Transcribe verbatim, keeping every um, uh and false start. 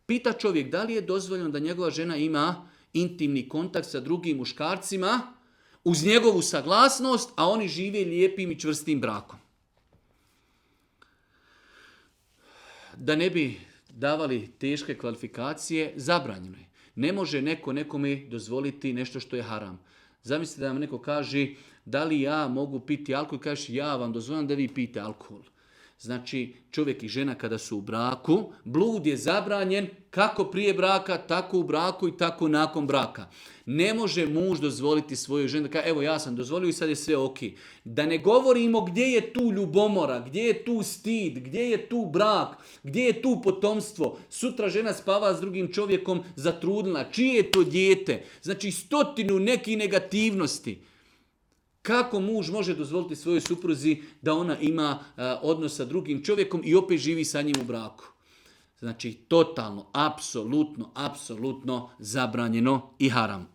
Pita čovjek da li je dozvoljeno da njegova žena ima intimni kontakt sa drugim muškarcima uz njegovu saglasnost, a oni žive lijepim i čvrstim brakom. Da ne bi davali teške kvalifikacije, zabranjeno je. Ne može neko nekome dozvoliti nešto što je haram. Zamislite da vam neko kaže da li ja mogu piti alkohol i kažeš ja vam dozvoljam da vi pijete alkohol. Znači čovjek i žena kada su u braku, blud je zabranjen kako prije braka, tako u braku i tako nakon braka. Ne može muž dozvoliti svojoj ženi da kaže evo ja sam dozvolio i sad je sve ok. Da ne govorimo gdje je tu ljubomora, gdje je tu stid, gdje je tu brak, gdje je tu potomstvo. Sutra žena spava s drugim čovjekom zatrudnila. Čije je to dijete? Znači stotinu nekih negativnosti. Kako muž može dozvoliti svojoj supruzi da ona ima uh, odnos sa drugim čovjekom i opet živi sa njim u braku? Znači, totalno, apsolutno, apsolutno zabranjeno i haram.